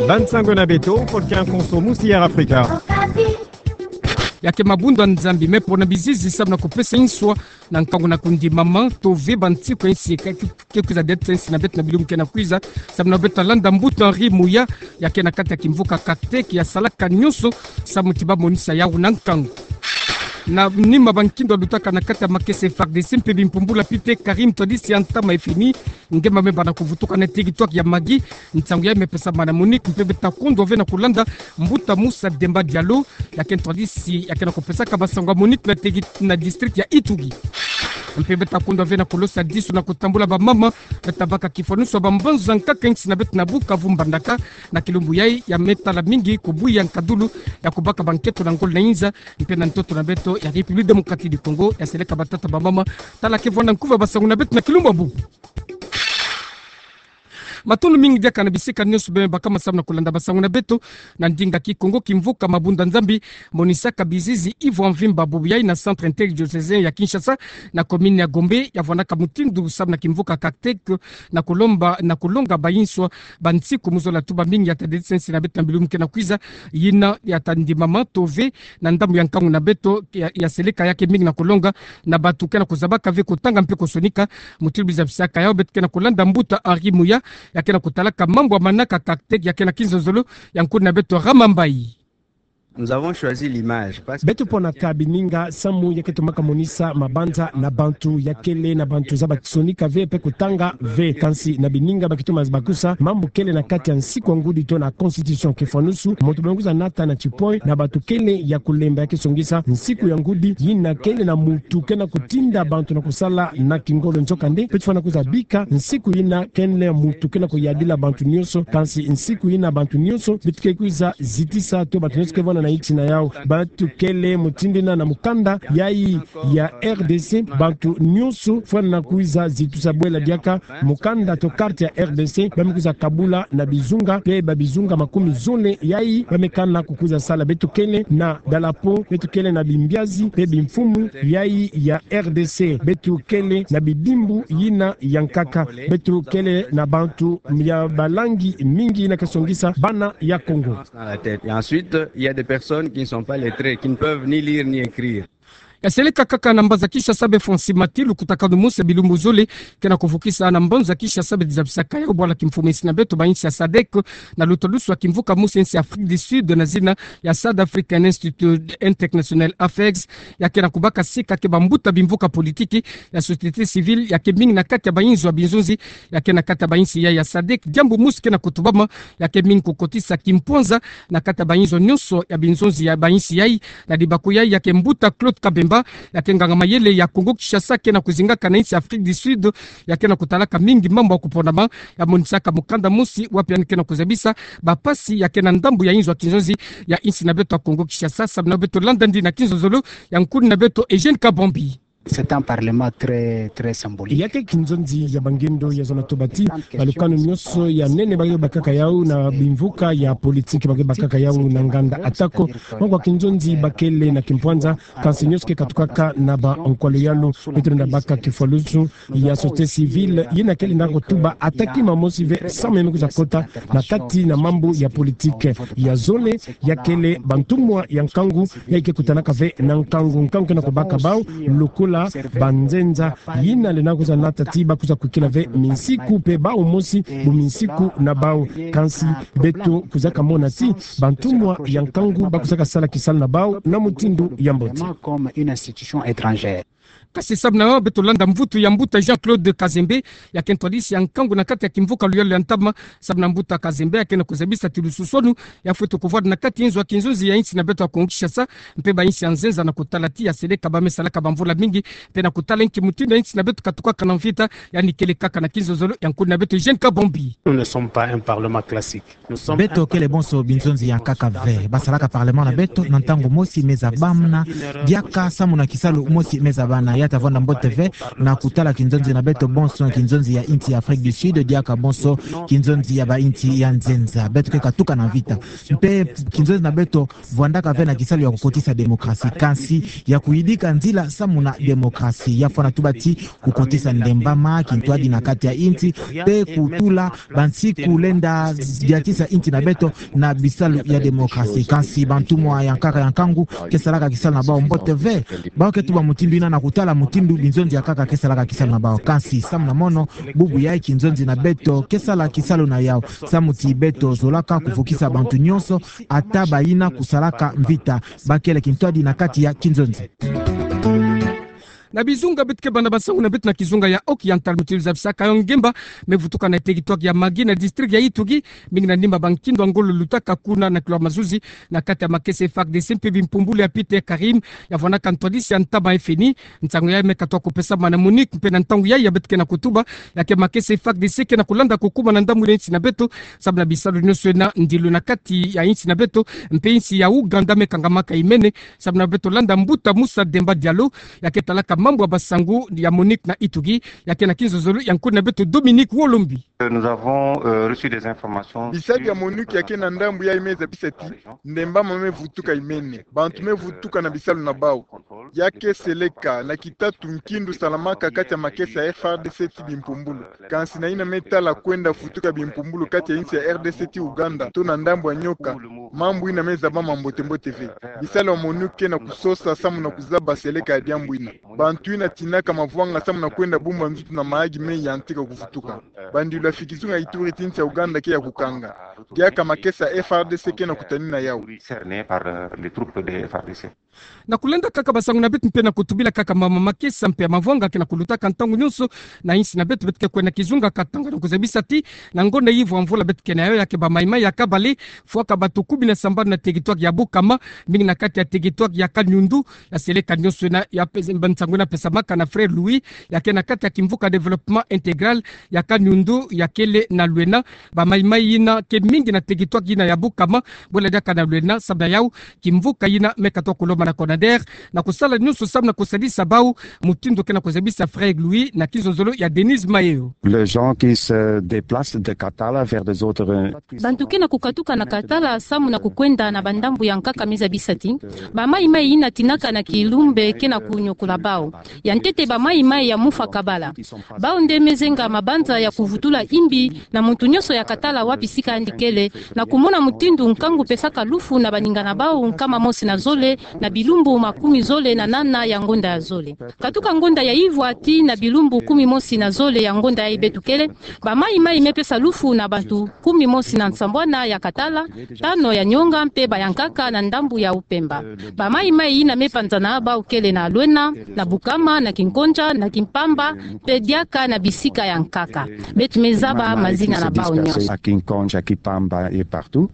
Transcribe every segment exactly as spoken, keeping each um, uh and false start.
Bansango na beto, Volcan Konso, Musière Afrika. Ya ke mabunda Nzambi, me pona bizizi samu na kupesa inswa na nkangu na kundimama, to ve bantsiko ya insi ke, ke kwiza diata insi na beto na bilumbu ke na kwiza, samu na beto landa mbuta Henri Muya, ya ke na kati ya kimvuka Cactec, ya salaka nionso samu ti ba monisa yau na nkangu. Na nima ba nkindo lutaka na kati ya makesa F A R D C mpe bimpumbula pite Karim Tadisi ya ntama F M I, nge mame bana kuvutuka na territoire ya Magui, nsangu ya me pesa mana Monique, mpe beta kondwa ve na kulanda mbuta Moussa Demba Diallo, ya ke ntwadisi ya ke na kupesaka basango ya Monique na tegi na district ya Ituri. Mpe beta kondwa ve na kulosa disu na kutambula bamama beta baka kifwanusu ya bambanza nkaka insi na beto na Bukavu, Mbandaka, na kilumbu yai ya me tala mingi kubuya nkadulu ya kubaka banketo na ngolo na inza, mpe na ntoto na beto ya République Démocratique du Congo, ya seleka batata bamama. Tala ke vwanda nkuva basango na beto na kilumbu ya bubu. Matondo mingi diaka na bisika nionso beme bakama samu na kulanda basango na beto na ndinga Kikongo. Kimvuka mabunda Nzambi monisaka bizizi ivo ya mvimba bubu yai na centre interdiocésain ya Kinshasa, na commune ya Gombe, ya vwandaka mutindu samu na kimvuka Cactec, na kulomba, na kulonga bainswa bantsiko mu zola tuba mingi ya ta dedisa insi na beto na bilumbu ke na kwiza, yina ya ta ndimama to ve na ndambu ya nkangu na beto ya, ya seleka ya ke mingi na kulonga na bantu ke na kuzabaka ve kutanga mpe kusonika. Mutindu bizabisaka yau, beto ke na kulanda mbuta Henri Muya, ya ke na kutalaka mambu ya manaka Cactec, ya ke na kinzonzolo ya nkuni na beto Ramambai. Nous avons choisi l'image parce que beto ponaka bininga samu ya ke tomaka monisa mabanza na bantu ya kele na bantu zaba kisonika ve mpe kutanga ve. Kansi na bininga ba ke toma bakusa mambu kele na kati ya nsiku ya ngudi to na constitution, kifwanusu muntu bamekuza nata na tipoe na bantu kele ya kulemba, ya ke songisa nsiku ya ngudi yina kele na muntu ke na kutinda bantu na kusala na kingolo. Nzokande beto fwana kuza bika nsiku yina kele muntu ke na kuyadila bantu nionso, kansi nsiku yina bantu nionso beto ke kwiza zitisa to bantu nionso ke vwanda na insi na yau. Beto kele mutindu yina na mukanda yai ya R D C, bantu nionso fwana kwiza zitisa bwela diaka mukanda to carte ya R D C, bamekuza kabula na bizunga, mpe babizunga makumi zole yai bamekana kukwiza sala. Beto kele na dalapo, beto kele na bimbiazi mpe bimfumu yai ya R D C, beto kele na bidimbu yina ya nkaka, beto kele na bantu ya balangi mingi yina ke songisa bana ya Kongo. Dans la tête. Et ensuite, il y a des personnes qui ne sont pas lettrées, qui ne peuvent ni lire ni écrire. Ya seleka kaka na mbanza Kinshasa, be Francis Mati, lukutakanu mosi ya bilumbu zole ke na kuvukisa na mbanza Kinshasa, beti zabisaka yau bwala kimfumu ya insi na beto ba insi ya sadec, na lutalusu ya kimvuka mosi ya insi ya Afrique du Sud na zina ya South African Institute International Affairs, ya ke na kubaka sika ke bambuta bimvuka politiki, ya société civile, ya ke mingi na kati ya bainzo ya binzonzi ya ke na kati ya bainsi ya, ya sadec. Diambu mosi ke na kutubama, ya ke mingi kukotisa kimpwanza na kati ya bainzo nionso ya binzonzi ya bainsi yai. Na libaku yai, ya ke mbuta Claude Kabemba, ya ke nganga mayele ya Congo Kinshasa ke na kuzingaka na insi ya Afrique du Sud, ya ke na kutalaka mingi mambu ya kuponama, ya monisaka mukanda mosi wapi yandi ke na kuzabisa bampasi ya ke na ndambu ya inzo ya kinzonzi ya insi na beto ya Congo Kinshasa. Samu na beto landa ndi na kinzonzolo ya nkuni na beto Eugène Kabambi. C'est un parlement très, très symbolique. Ya ke kinzonzi ya bangendo ya zona tobati, balukanu nionso ya nene ba ke bakaka yau na bimvuka ya politiki ba ke bakaka yau na nganda. Atako mwango ya kinzonzi ba kele na kimpwanza, kansi nionso ke katukaka na ba nkwalu yalu. Beto lenda baka kifwalusu ya société civile yina kele na kutuba ata kima mosi ve samu ya me kwiza kota na kati na mambu ya politiki. Ya zole, ya kele bantumwa ya nkangu, ya ke kutanaka ve na nkangu, nkangu ke na kubaka bau, lokola banzenza yina lenda kwiza nata ti ba kwiza kwikila ve minsiku mpe bau mosi bu minsiku na bau. Kansi beto kwizaka mona ti bantumwa ya nkangu ba kwizaka sala kisalu na bau na mutindu ya mbote. Comme une institution étrangère. Kasi samu na beto landa mvutu ya mbuta Jean-Claude Kazembe, ya ke ntwadisi ya nkangu na kati ya kimvuka luyalu ya ntama. Samu na mbuta Kazembe, ya ke na kuzabisa ti lususwanu ya fwete kuvwanda na kati inzo ya kinzonzi ya insi na beto ya Congo Kinshasa, mpe bainsi ya nzenza, na kutala ti ya seleka ba me salaka bamvula mingi, mpe na kutala inki mutindu ya insi na beto katukaka na mvita, yandi kele kaka na kinzonzolo ya nkuni na beto Eugène Kabambi. Nous ne sommes pas un parlement classique. Beto kele bonso binzonzi ya nkaka ve. Ba salaka parlement na beto na ntangu mosi me zabamna diaka samu na kisalu mosi me zaba Bana ya tavwanda mbote ve na kutala kinzonzi na beto bonso, kinzonzi ya insi ya Afrique du Sud, diaka bonso kinzonzi ya bainsi ya nzenza. Beto ke katuka na mvita. Mpe kinzonzi na beto vwandaka ve na kisalu ya kukotisa demokrasi, kansi ya kuyidika nzila samu na demokrasi. Ya fwana tuba ti kukotisa ndembama, kintwadi na kati ya insi, mpe kutula bansi kulenda diatisa insi na beto na bisalu ya demokrasi. Kansi bantu mwa ya nkaka ya nkangu ke salaka kisalu na bau mbote ve. Bau ke tuba mutindu ina na kutala mutindu binzonzi ya nkaka ke salaka kisalu na bau. Kansi samu na mono, bubu yai kinzonzi na beto ke sala kisalu na yau, samu ti beto zolaka kuvukisa bantu nyonso, ata bayina kusalaka mvita. Bakele kintwadi na kati ya kinzonzi. Na bizunga beto ke banda basangu na beto na kizunga ya Oki ya ntala mutindu zabisaka yo ngemba me vutuka na teritware ya Magui na district ya Ituri, mingi na nima ba nkindo ya ngolo lutaka kuna na kilo mazuzi na kati ya makesa F A R D C mpe bimpumbulu ya Peter Karim, ya vwanaka ntwadisi ya ntama FNI. Nsangu yai me katoa kupesama na MONUC mpe na ntangu yai ya beto ke na kutuba, ya ke makesa F A R D C ke na kulanda kukuma na ndambu ya insi na beto, samu na bisalu nyonso ina ndilo na kati ya insi na beto, mpe insi ya Ouganda me kangamaka imene, samu na beto landa mbuta Moussa Demba Diallo, ya ke talaka mambu ya basangu ya MONUC na Ituri, ya ke na kinzonzolo ya nkuna beto Dominique Wolombi. Nous avons, euh, reçu des informations. Bisalu ya MONUC ya ke na ndambu yai me zabisa ti ndembama me vutuka imene, bantu me vutuka na bisalu na bau. Ya ke seleka na kitatu nkindo salamaka kati ya makesa ya F A R D C ti bimpumbulu. Kansi na ina me tala kwenda vutuka bimpumbulu kati ya insi ya R D C ti Ouganda, to na ndambu ya nyoka, mambu ina me zabama mbote mbote ve. Bisalu ya MONUC ke na kusosa samu na kuzaba seleka ya diambu ina. Bantu ina tinaka mavwanga samu na kwenda bumba nzutu na mayaki me yantika kuvutuka. Bandilu ya fikizunga Ituri ti insi ya Ouganda ke ya kukanga. Diaka makesa F A R D C ke na kutanina yau. Cerné par, euh, les troupes de F A R D C. Na kulenda kaka basangu na beto mpe na kutubila kaka mama makesa mpe ya mavwanga ke na kulutaka ntangu nyonso na insi na beto, beto ke kwenda kizunga Katanga na kuzabisa ti na ngonda ya ivwa mvula beto ke na yau, ya ke ba maï-maï ya kabale fwaka bato kumi na sambanu na teritware ya Bukama, mingi na kati ya teritware ya Kanyundu. Ya seleka nyonso ina ya pes-, nsangu ina pesamaka na Frère Louis, ya ke na kati ya kimvuka Développement Intégral ya Kanyundu, ya kele na lwena ba maï-maï ina ke mingi na teritware ina ya Bukama, bwela diaka na lwena, samu na yau kimvuka ina me katoa kulomba na CONADER na kusala nyonso samu na kusadisa bau, mutindu ke na kuzabisa Frère Louis na kinzonzolo ya Denise Mayo. Les gens qui se déplacent de Katala vers des autres, euh, bantu ke na kukatuka na Katala samu na kukwenda na bandambu ya nkaka me zabisa ti ba maï-maï ina tinaka na kilumbu ke na kunyokola bau. Ya ntete ba maï-maï ya mufwa kabala. Bau nde me zenga mabanza ya kuvutula imbi na muntu nyonso ya Katala wapi sika andi kele, na kumona mutindu nkangu pesaka lufu na baninga na bau nkama mosi na zole na bilumbu makumi zole na nana ya ngonda ya zole. Katuka ngonda ya ivwa tii na bilumbu kumi mosi na zole ya ngonda yayi beto kele, ba maï-maï me pesa lufu na bantu kumi mosi na nsambwana ya Katala, tano ya nyonga mpe ba ya nkaka na ndambu ya Upemba. Ba maï-maï ina me panzana bau kele na Lwena, na Bukama, na Kinkondja, na Kimpamba, mpe diaka na bisika ya nkaka. Beto me zaba mazina na bau nyonso. À Kinkondja, Kimpamba et partout.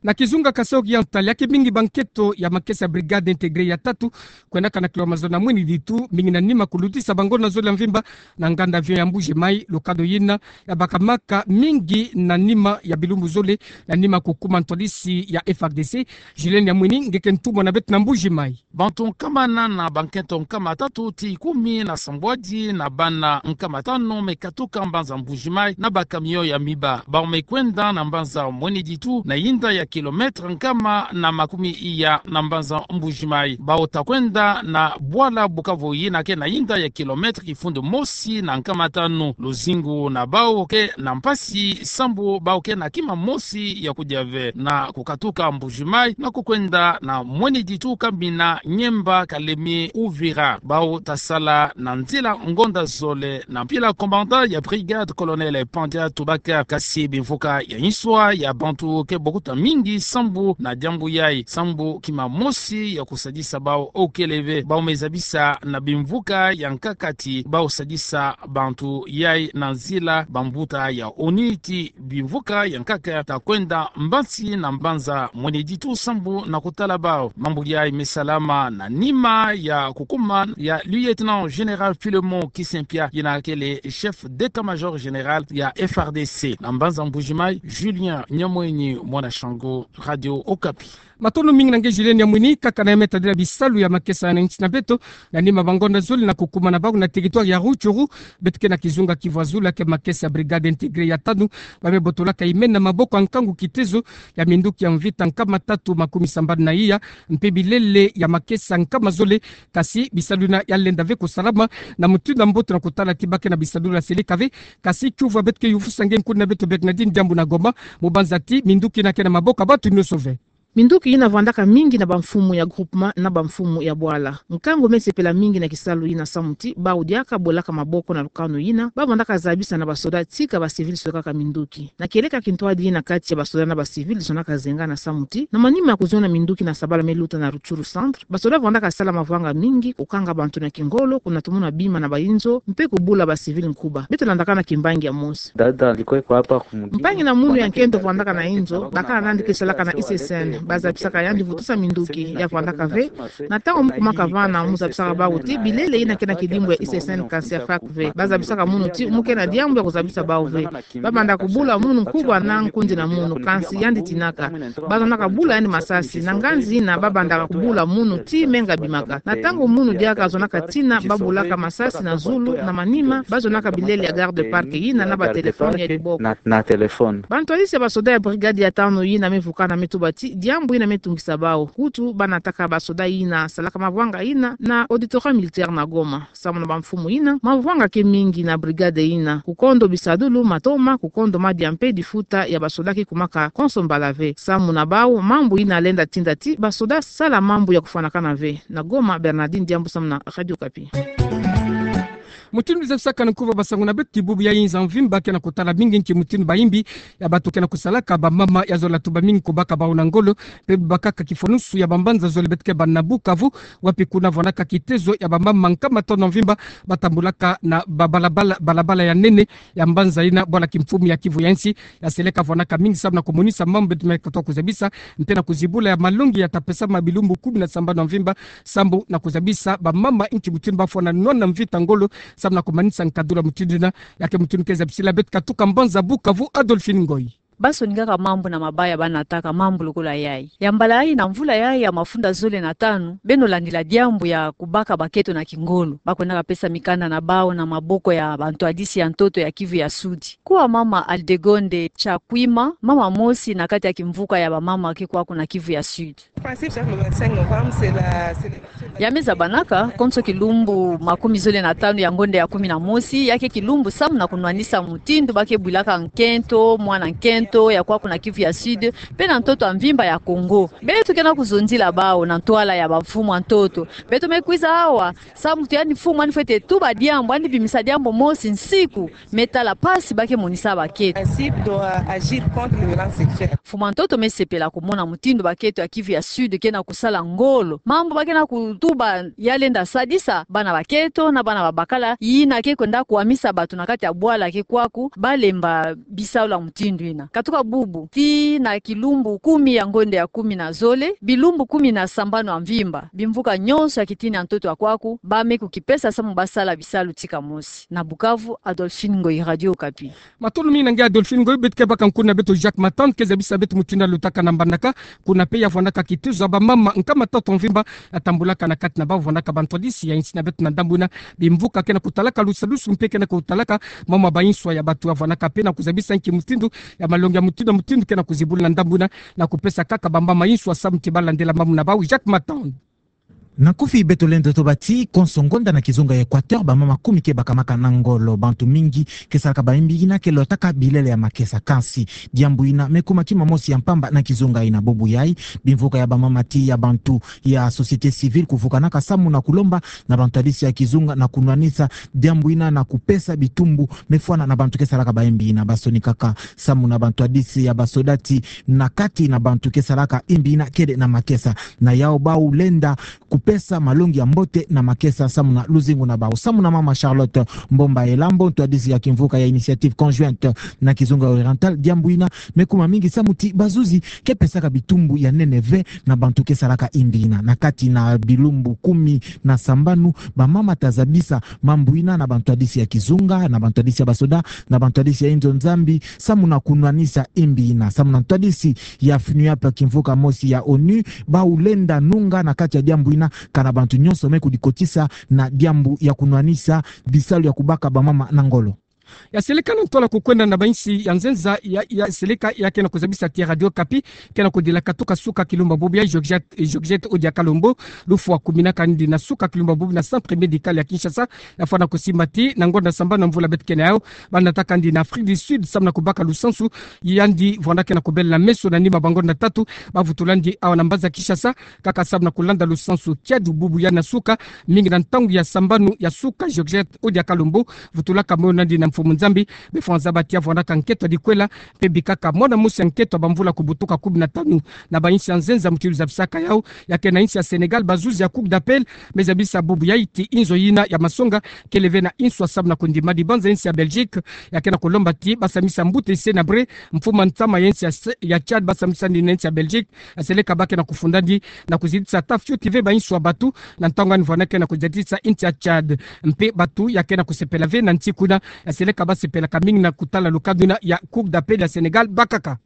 Na kizunga Kasaï Oriental, ya ke mingi ba nkento ya makesa Brigade Intégrée ya tatu, kwendaka na kilo mazono na mweni ditu, mingi na nima kulutisa bango na zole ya mvimba na nganda avion ya Mbuji-Mayi, lokado yina ya bakamaka mingi na nima ya bilumbu zole, na nima kukuma ntwadisi ya F R D C. Julien Nyamwini, nge ke ntumwa na beto na Mbuji-Mayi. Bantu nkama nana, ba nkento nkama tatu tii kumi na sambwadi na bana nkama tanu me katuka mbanza Mbuji-Mayi na ba camion ya miba. Bau me kwenda na mbanza Mweni Ditu, na yinda ya kilomètre nkama na makumi iya na mbanza Mbuji-Mayi. Bau ta kwenda na bwala Bukavu yina ke na yinda ya kilomètre kifundu mosi na nkama tanu. Luzingu na bau ke na mpasi sambu bau ke na kima mosi ya kudia ve na kukatuka Mbuji-Mayi na kukwenda na Mweni Ditu, Kamina, Nyemba, Kalemi, Uvira. Bau ta sala na nzila ngonda zole na mpila. Commandant ya brigade, colonel Pandia Tubaka, kasi bimvuka ya nswa ya bantu ke bokuta mingi sambu na diambu yayi, sambu kima mosi ya kusadisa bau okele ve. Bau me zabisa na bimvuka ya nkaka ti bau sadisa bantu yayi na nzila. Bambuta ya ONU ti bimvuka ya nkaka ta kwenda mbansi na mbanza Mweni Ditu sambu na kutala bau. Mambu yayi me salama na nima ya kukuma ya lieutenant général Philemon Kisempia, yina kele chef d'état-major général ya F R D C. Na mbanza Mbuji-Mayi, Julien Nyamwini, mwana Shango, Radio Okapi. Matondo mingi na nge Julien Yamwini. Kaka na ya me tadila bisalu ya makesa na nsi na beto, na nima ba ngonda zole na kukumana bau na territoire ya Rutshuru, beto ke na kizunga Kivu ya Zulu, ke makesa ya Brigade Intégrée ya tanu, ba me botolaka imena maboko ya nkangu kitezo ya minduki ya mvita nkama tatu makumi sambanu na iya, mpe bilele ya makesa nkama zole. Kasi bisalu yina ya lenda ve kusalama na mutindu ya mbote na kutala ti ba ke na bisalu ya seleka ve. Kasi kiuvu ya beto ke yuvusa nge nkuna beto Bernardine Diambu na Goma, mu banza ti minduki yina ke na maboko ya bantu nyonso ve. Minduki yina vandaka mingi na bamfumu ya groupement na bamfumu ya bwala. Nkangu me sepela mingi na kisalu yina samu ti bau diaka bolaka maboko na lukanu yina, ba vandaka zabisa na basoda tika ba civil sokaka minduki. Na kieleka kintwadi yina kati ya basoda na ba civil zonaka zengana samu ti, na manima ya kuzona minduki na sabala me luta na Rutshuru centre, basoda vandaka sala mavanga mingi, kukanga bantu na kingolo, kuna tumuna bima na ba inzo, mpe kubula ba civil nkuba. Beto landaka na kimbangi ya mosi. Mpangi na munu ya nkento vandaka na inzo, bakala nandi ke salaka na I C S N, ba zabisaka yandi vutusa minduki, ya vandaka ve. Na ntangu mu kumaka vana, mu zabisaka bau ti bilele yina ke na kidimbu ya I C S N kansi ya fake ve. Ba zabisaka munu ti mu ke na diambu ya kuzabisa bau ve. Ba banda kubula munu nkuba na nkundi na munu, kansi yandi tinaka. Ba zonaka bula yandi masasi, na nganzi yina ba bandaka kubula munu ti menga bimaka. Na ntangu munu diaka zonaka tina, ba bulaka masasi na zulu, na manima ba zonaka bilele ya garde-parc yina na ba téléphone ya diboko. Na, na téléphone. Bantwadisi ya basoda ya brigade ya tanu yina me vukana me tuba ti diambu yina me tungisa bau. Kutu ba nataka basoda yina salaka mavanga yina na Auditorat militaire na Goma. Samu na bamfumu yina, mavanga ke mingi na brigade yina. Kukondo bisadulu, matoma, kukondo madia mpe difuta ya basoda ke kumaka konso mbala ve. Samu na bau, mambu yina lenda tinda ti basoda sala mambu ya kufwanakana ve. Na Goma, Bernardine Diambu samu na Radio Okapi. Mutindu zabisaka na nkuba basangu na beto ti bubu ya inza mvimba ke na kutala mingi nki mutindu bayimbi ya bantu ke na kusalaka bamama ya zola tuba mingi kubaka bau na ngolo, mpe bubakaka kifwanusu ya bambanza zole beto ke bana Bukavu, wapi kuna vandaka kitezo ya bamama nkama tanu ya mvimba ba tambulaka na ba balabala, balabala ya nene ya mbanza yina bwala kimfumu ya Kivu ya nsi ya seleka vandaka mingi samu na kumonisa mambu beto me kotoa kuzabisa, mpe na kuzibula ya malongi ya ta pesama bilumbu kumi na sambanu ya mvimba, samu na kuzabisa bamama nki mutindu ba fwana nwana mvita ngolo, samu na kumanisa nkadula mutindu yina. Ya ke mutindu ke zabisila beto katuka mbanza Bukavu, Adolphine Ngoyi. Ba sonikaka mambu na mabaya ba nataka mambu lokola yayi. Ya mbala yayi na mvula yayi ya mafunda zole na tanu, beno landila diambu ya kubaka baketo na kingolo. Ba kwendaka pesa mikanda na bau na maboko ya bantwadisi ya ntoto ya Kivu ya Sud. Kwa mama Aldegonde Chakwima, mama mosi na kati ya kimvuka ya bamama ke kwaku na Kivu ya Sud. Ya me zabanaka konso kilumbu makumi zole na tanu ya ngonda ya kumi na mosi, ya ke kilumbu samu na kunwanisa mutindu ba ke bwilaka nkento, mwana nkento ya kwaku na Kivu ya Sud, mpe na ntoto ya mvimba ya Congo. Beto ke na kuzonzila bau na ntwala ya bamfumu ya ntoto. Beto me kwiza awa samu ti yandi mfumu yandi fwete tuba diambu, yandi bimisa diambu mosi nsiku me tala mpasi ba ke monisa baketo. Principe doit agir contre les violences sexuelles. Mfumu ya ntoto me sepela kumona mutindu baketo ya Kivu ya Sud ke na kusala ngolo. Mambu ba ke na kutuba ya lenda sadisa bana baketo na bana babakala, yina ke kwenda kwamisa bato na kati ya bwala ke kwaku, ba lemba bisalu ya mutindu yina. Katuka bubu, tii na kilumbu kumi ya ngonda ya kumi na zole, bilumbu kumi na sambanu ya mvimba, bimvuka nyonso ya kitini ya ntoto ya kwaku, ba me kukipesa samu ba sala bisalu tika mosi. Na Bukavu, Adolphine Ngoyi, Radio Okapi. Matondo mingi na nge Adolphine Ngoyi. Beto ke baka nkuna beto Jacques Matand ke zabisa beto mutindu ya lutaka na mbandaka, kuna mpe ya vandaka kitezo ya bamama nkama tatu ya mvimba ya tambulaka na kati na bau vandaka bantwadisi ya nsi na beto na ndambu yina. Bimvuka ke na kutalaka lusadusu mpe ke na kutalaka mama ba inswa ya bato ya vandaka mpe na kuzabisa nki mutindu ya malongi ya mutindu na mutindu ke na kuzibula na ndambu yina, na kupesa kaka bamama inswa samu ti ba landela mambu na bau. Jacques Matand. Na kufi beto lenda toba ti konso ngonda na kizunga ya Equateur, bamama kumi ke bakamaka na ngolo. Bantu mingi ke salaka bayimbi yina ke lotaka bilele ya makesa. Kansi diambu yina me kuma kima mosi ya mpamba na kizunga yina. Bubu yayi, bimvuka ya bamama tii ya bantu ya société civile kuvukanaka samu na kulomba na bantwadisi ya kizunga na kunwanisa diambu yina na kupesa bitumbu me fwana na bantu ke salaka bayimbi yina. Ba sonikaka samu na bantwadisi ya basoda ti na kati na bantu ke salaka yimbi yina kele na makesa. Na yau bau lenda ku- pesa malongi ya mbote na makesa samu na luzingu na bau. Samu na mama Charlotte Mbomba Elambo, ntwadisi ya kimvuka ya Initiative Conjointe na Kizunga Oriental, diambu ina me kuma mingi samu ti bazuzi ke pesaka bitumbu ya nene ve na bantu ke salaka imbi ina. Na kati na bilumbu kumi na sambanu, bamama ta zabisa mambu ina na bantwadisi ya kizunga, na bantwadisi ya basoda, na bantwadisi ya inzo Nzambi, samu na kunwanisa imbi ina. Samu na ntwadisi ya FNUAP, kimvuka mosi ya onu, bau lenda nunga na kati ya diambu ina, kana bantu nyonso me kudikotisa na diambu ya kunwanisa bisalu ya kubaka bamama na ngolo. Ya seleka na ntwala kukwenda na bainsi ya nzenza ya, ya seleka ya ke na kuzabisa ti Radio Okapi ke na kudila katuka suka kilumbu bubu ya Georgette, Georgette Odia Kalombo, lufwa kuminaka ndi na suka kilumbu bubu na centre médical ya Kinshasa, ya fwana kusimbati na ngonda sambanu na mvula beto ke na yau, ba nataka ndi na Afrique du Sud samu na kubaka lusansu, yandi vwanda ke na kubela na meso na nima ba ngonda tatu, ba vutula ndi awa na mbanza Kinshasa, kaka samu na kulanda lusansu kiadi bubu ya na suka, mingi na ntangu ya sambanu ya suka Georgette Odia Kalombo vutulaka moyo na ndi na mfumu Nzambi. Befwa nzaba ti ya vwandaka nkento ya dikwela, mpe bikaka mwana mosi ya nkento ya bamvula kubutuka kumi na tanu na bainsi ya nzenza muti luzabisaka yau, ya ke na insi ya Sénégal, bazuzi ya Cour d'appel me zabisa bubu yai ti inzo yina ya masonga kele ve na inswa samu na kundima dibanza insi ya Belgique, ya ke na kulomba ti ba samisa mbuta ise na brie, mfumu ntama ya insi ya se-, ya Tchad ba samisa ndi na insi ya Belgique, ya seleka ba ke na kufunda ndi na kuzitisa ata fioti ve bainswa batu, na ntangu yandi vwanda ke na kuzitisa insi ya Tchad. Mpe batu ya ke na kusepela ve na nsi kuna, ya seleka ba sepelaka mingi na kutala lukadu yina ya Cour d'appel ya Sénégal bakaka.